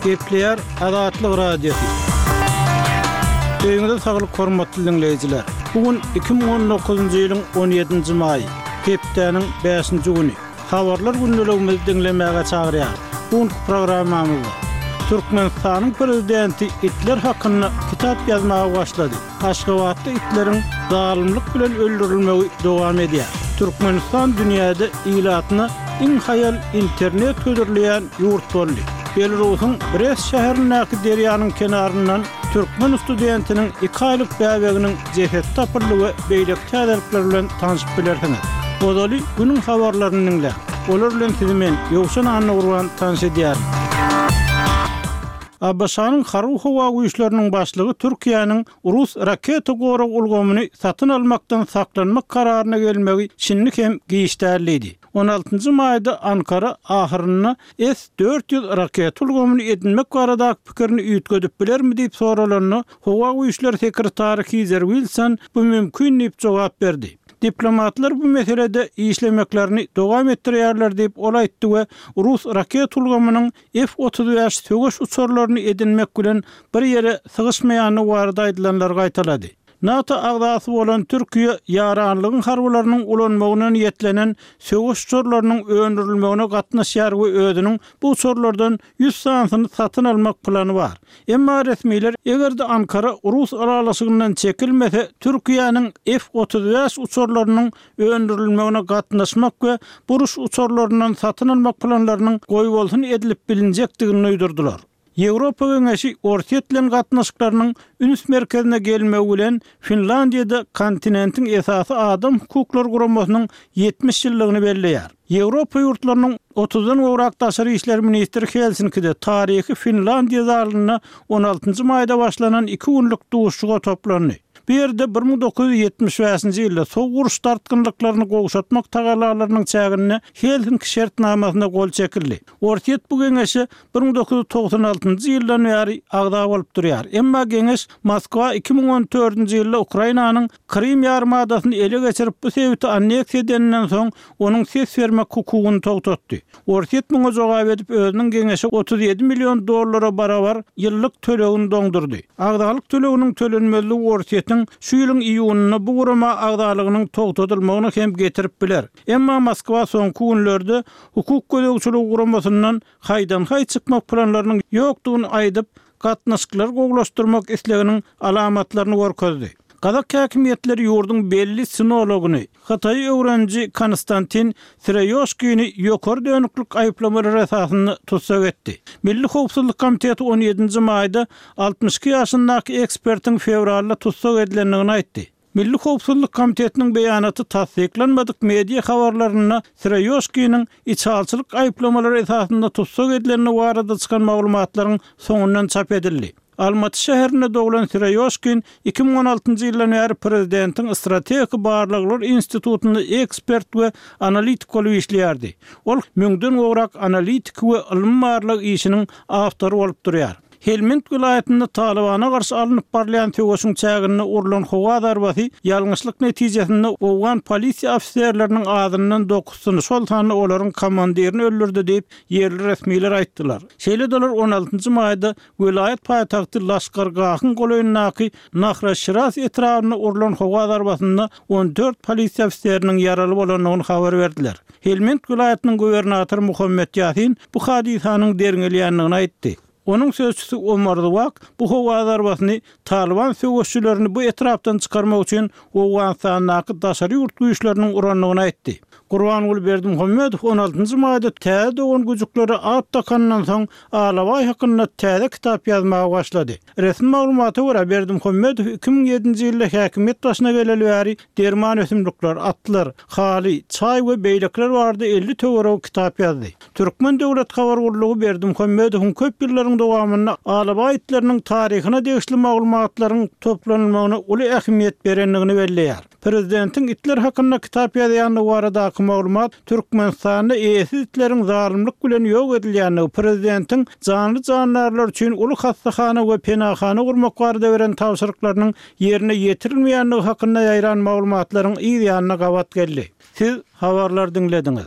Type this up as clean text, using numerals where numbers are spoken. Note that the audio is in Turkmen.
Gepleýär Azatlyk Radiosy. Öýüňize saglyk hormatly diňleýjiler. Bu gün 2019-njy ýylyň 17-nji maýy, hepdäniň bäşinji güni. Habarlar gündeligimizi diňlemäge çagyrýar. Bu günki programmamyzda Türkmenistanyň Prezidenti itler hakynda kitap ýazmaga başlady. Aşgabatda itleriň zalymlyk bilen öldürilmegi dowam edýär. Türkmenistan dünýäde ilatyna iň haýal internet hödürleýän ýurt boldy. Belarusyň Brest şäherindäki derýanyň kenaryndan türkmen studentiniň iki aýlyk bäbeginiň jesedi tapyldy we beýleki täzelikler bilen tanşyp bilersiňiz. Ozaly günüň habarlaryny diňläň. Olar bilen sizi men, Ýowşan Annagurban tanyş edýärin. ABŞ-nyň Harby-howa güýçleriniň başlygy Türkiýäniň rus raketa gorag ulgamyny satyn almakdan saklanmak kararyna gelmegi şindi hem giç däl diýdi. On altynjy maýda Ankara ahyrynda S 400 raketa ulgamyny edinmek baradaky pikirini üýtgedip bilermi diýip soralanda, Howa güýçleri sekretary Hizer Wilson bu mümkin diýip jogap berdi. Diplomatlar bu meselede işlemeklerini dowam etdirýärler diýip ol aýtdy we rus raketa ulgamynyň F 35 söweş uçarlaryny edinmek bilen bir ýere sygyşmaýandygy barada aýdylanlary gaýtalady. NATO agzasy bolan Türkiýe ýaranlygyň harbylarynyň ulanmagyna niýetlenen söweş uçarlarynyň öndürilmegine gatnaşýar we özüniň bu uçarlardan ýüz sanysyny satyn almak plany bar. Emma resmiler eger-de Ankara rus ylalaşygyndan çekilmese, Türkiýäniň F 35 uçarlarynyň öndürilmegine gatnaşmak we bu uruş uçarlaryndan satyn almak planlarynyň goýbolsun edilip bilinjekdigini duýdurdylar. Ýewropa Geňeşi Orsýet bilen gatnaşyklarynyň üns merkezine gelmegi bilen Finlandiýada kontinentiň esasy adam hukuklary guramasynyň 70 ýyllygyny belleýär. Ýewropa ýurtlarynyň otuzdan gowrak daşary işler ministri Helsinkide taryhy Finlandiýa zalynda on altynjy maýda başlanan iki günlük duşuşyga toplandy. Bu ýerde 1975-nji ýylda sowuk uruş dartgynlyklaryny gowşatmak tagallalarynyň çäginde Helsinki şertnamasyna gol çekildi. Orsýet bu geňeşe 1996-njy ýyldan bäri agza bolup durýar. Emma geňeş Moskwa 2014-nji ýylda Ukrainanyň Krym ýarymadasyny ele geçirip, bu sebiti anneksiýa edeninden soň, onuň ses bermek hukugyny togtatdy. Orsýet muňa jogap edip, özüniň geňeşe 37 million dollara barabar ýyllyk tölegini doňdurdy. Agzalyk töleginiň tölenmezligi Orsýetiň şu ýylyň iýunynda bu gurama agzalygynyň togtadylmagyna hem getirip biler. Emma Moskwa soňky günlerde Hukuk gözegçiligi guramasyndan haýdan-haý çykmak planlarynyň ýokdugyny aýdyp, gatnaşyklary gowulaşdyrmak isleginiň alamatlaryny görkezdi. Gazak häkimiýetleri ýurduň belli sinologyny, Hytaýy öwreniji Konstantin Syroýoşkini ýokary dönüklik aýyplamalary esasynda tussag etdi. Milli howpsuzlyk komiteti on ýedinji maýda 62 ýaşyndaky ekspertiň fewralda tussag edilendigini aýtdy. Milli howpsuzlyk komitetiniň beýanaty tassyklanmadyk media habarlarynda Syroýoşkiniň içalyçylyk aýyplamalary esasynda tussag edilendigi barada çykan maglumatlaryň soňundan çap edildi. Almaty şäherinde doglan Syroýoşkin 2016-njy ýyldan bäri prezidentiň Strategik barlaglar institutynda ekspert we analitik bolup işleýärdi. Ol müňden gowrak analitiki we ylmy-barlag işiniň awtory bolup durýar. Helmend welaýatynda Talybana garşy alnyp barylýan söweşiň çäginde urlan howa zarbasy ýalňyşlyk netijesinde owgan polisiýa ofiserleriniň azyndan dokuzysyny, şol sanda olaryň komandirini öldürdi diýip, ýerli resmiler aýtdylar. Şeýle-de olar on altynjy maýda welaýat paýtagty Laşkargahyň golaýyndaky Nahra Şiraz etrabynda urlan howa zarbasynda on dört polisiýa ofiseriniň ýaraly bolandygyny habar berdiler. Helmend welaýatynyň gubernatory Muhammet Ýasin bu hadysanyň derňelýändigini aýtdy. Onuň sözçüsi Omar Zwak bu howa zarbasyny Talyban söweşçilerini bu etrapdan çykarmak üçin Owganystandaky daşary ýurt güýçleriniň urandygyny aýtdy. Gurbanguly Berdimuhamedow on altynjy maýda täze dogan güjüklere at dakanyndan soň alabaý hakynda täze kitap ýazmaga başlady. Resmi maglumata görä, Berdimuhamedow 2007-nji ýylda häkimiýet başyna geleli bäri derman ösümlikler, atlar, haly, çaý we beýlekiler barada 50 töweregi kitap ýazdy. Türkmen döwlet habar gullugy Berdimuhamedowyň köp ýyllaryň dowamynda alabaý itleriniň taryhyna degişli maglumatlaryň toplanylmagyna uly ähmiýet berendigini belleýär. Prezidentiň itler hakynda kitap ýazýandygy baradaky maglumat Türkmenistanda eýesiz itleriň zalymlyk bilen ýok edilýändigi, prezidentiň janly-jandarlar üçin uly hassahana we penahana gurmak barada beren tabşyryklarynyň ýerine ýetirilmeýändigi hakynda ýaýran maglumatlaryň yz ýanyna gabat geldi. Siz habarlary diňlediňiz.